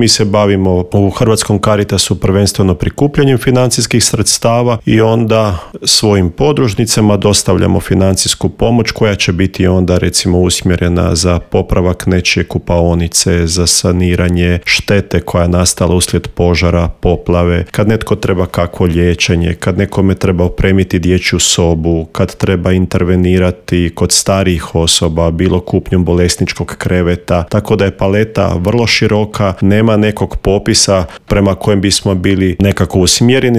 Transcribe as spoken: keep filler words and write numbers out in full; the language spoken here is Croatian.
Mi se bavimo u Hrvatskom Caritasu prvenstveno prikupljanjem financijskih sredstava i onda svojim podružnicama dostavljamo financijsku pomoć koja će biti onda recimo usmjerena za popravak nečije kupaonice, za saniranje štete koja je nastala uslijed požara, poplave, kad netko treba kakvo liječenje, kad nekome treba opremiti dječju sobu, kad treba intervenirati kod starijih osoba, bilo kupnjom bolesničkog kreveta, tako da je paleta vrlo široka, nema nekog popisa prema kojem bismo bili nekako usmjereni,